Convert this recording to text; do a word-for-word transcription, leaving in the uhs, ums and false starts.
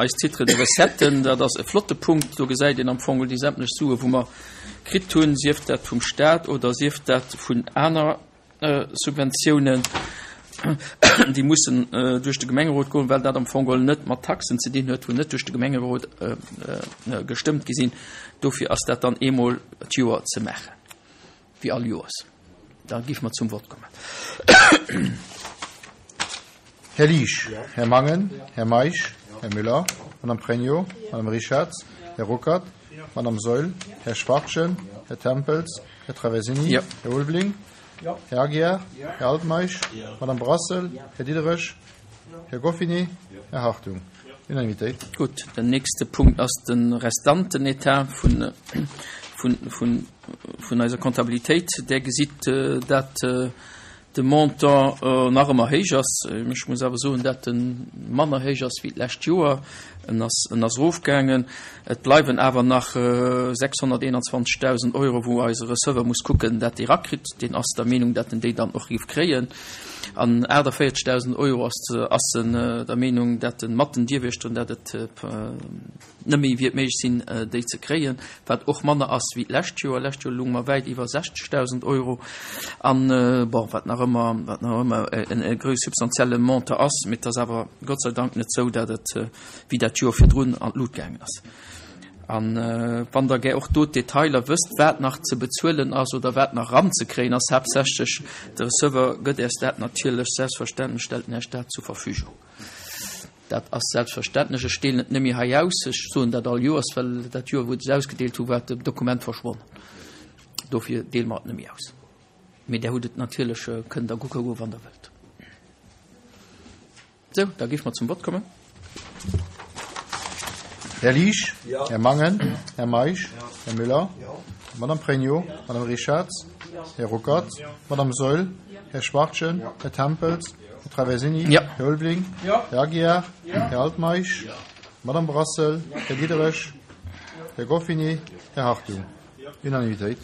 Eis Titres de recetten, dat ass e flotte Punkt, do gesäit een am Fong déi sämtlech Sue wou mer kritt hunn, sief dat vum Staat oder sief dat vun aner Subventiounen, déi mussen duerch de Gemengerot goen, well dat am Fong geholl net mat Taxen ze dinn huet, wou net duerch de Gemengerot gestëmmt gi sinn. Dofir ass dat dann eemol d'Joer ze maachen, wéi all Joers. Da géife mer zum Vott kommen. Här Liesch, Här Mangen, Här Meisch, Här Müller, Madame Pregno, Madame Richarz, Här Ruckert, Madame Saeul, Här Schwachtgen, Här Tempels, Här Traversini, Ja. Här Ulveling, Här Aguiar, Här Altmeisch, Madame Brassel, Här Diderich, Här Goffinet, Här Hartung. Unanimitéit. Gutt, den nächste Punkt ass de Restantenetat vun, vun, vun, vun eiser Comptabilitéit. Där gesitt, dat de Montant nach ëmmer héich ass. Ech muss awer soen, dat en manner héich ass wéi d'lescht Joer. En ass, en ass erofgaangen. Et bleiwen awer nach sechshonnerteenanzwanzegdausend Euro, wou eise Receveur muss kucken, dat déi erakritt. Deen ass der Meenung, dat en déi dann och géif kréien. An aachtavéierzegdausend Euro ass, ass en der Meenung, dat en mat den Dierwiechteren, dat et net méi wiert méiglech sinn, déi ze kréien, wat och manner ass wéi d'lescht Joer. Lescht Joer lounge mer wäit iwwer sechzegdausend Euro. An, bon, wat nach ëmmer, wat nach ëmmer en e grouss substantielle Montant ass, mee et ass awer Gott sei Dank net sou, dat et wéi dat Joer virdrun an d'Lut gaangen ass. An wann Der gär och do d'Detailer wësst, wat nach ze bezuelen ass oder wat nach eranzekréien ass, haaptsächlech de Receveur gëtt Äers dat natierlech, selbstverständlech stellt en Äech dat zur Verfügung. Dat ass selbstverständlech. Ech deelen et net méi hei aus. Ech soen dat all Joers, well dat Joer, wou ech et ausgedeelt hu, war d'Dokument verschwonnen. Dofir deele mer et net méi aus. Mee Der hutt et natierlech, kënnt Der kucke goen, wann Der wëllt. Sou, da géife mer zum Vott kommen. Här Liesch, Här Mangen, Här Meisch, Här Müller, Madame Pregno, Madame Richarz, Här Ruckert, Madame Saeul, Här Schwachtgen, Här Tempels, Här Traversini, Här Ulveling, Här Aguiar, Här Altmeisch, Madame Brassel, Här Diderich, Här Goffinet, Här Hartung. Unanimitéit.